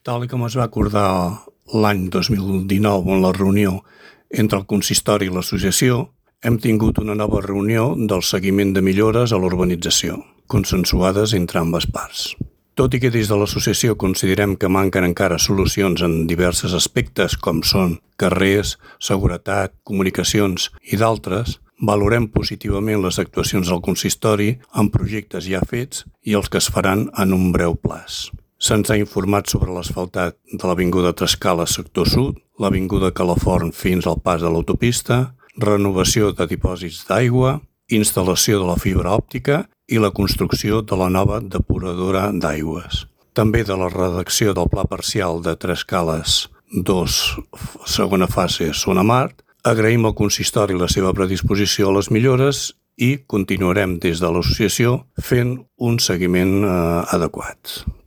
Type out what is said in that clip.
Tal com es va acordar l'any 2019 en la reunió entre el consistori i l'associació, hem tingut una nova reunió del seguiment de millores a l'urbanització, consensuades entre ambes parts. Tot i que des de l'associació considerem que manquen encara solucions en diversos aspectes com són carrers, seguretat, comunicacions i d'altres, valorem positivament les actuacions del consistori en projectes ja fets i els que es faran en un breu plaç. Se'ns ha informat sobre l'asfaltat de l'avinguda Trescala sector sud, l'avinguda Calafort fins al pas de l'autopista, renovació de dipòsits d'aigua, instal·lació de la fibra òptica i la construcció de la nova depuradora d'aigües. També de la redacció del pla parcial de Trescales 2, segona fase, Zona Mart. Agraïm al consistori la seva predisposició a les millores i continuarem des de l'associació fent un seguiment adequat.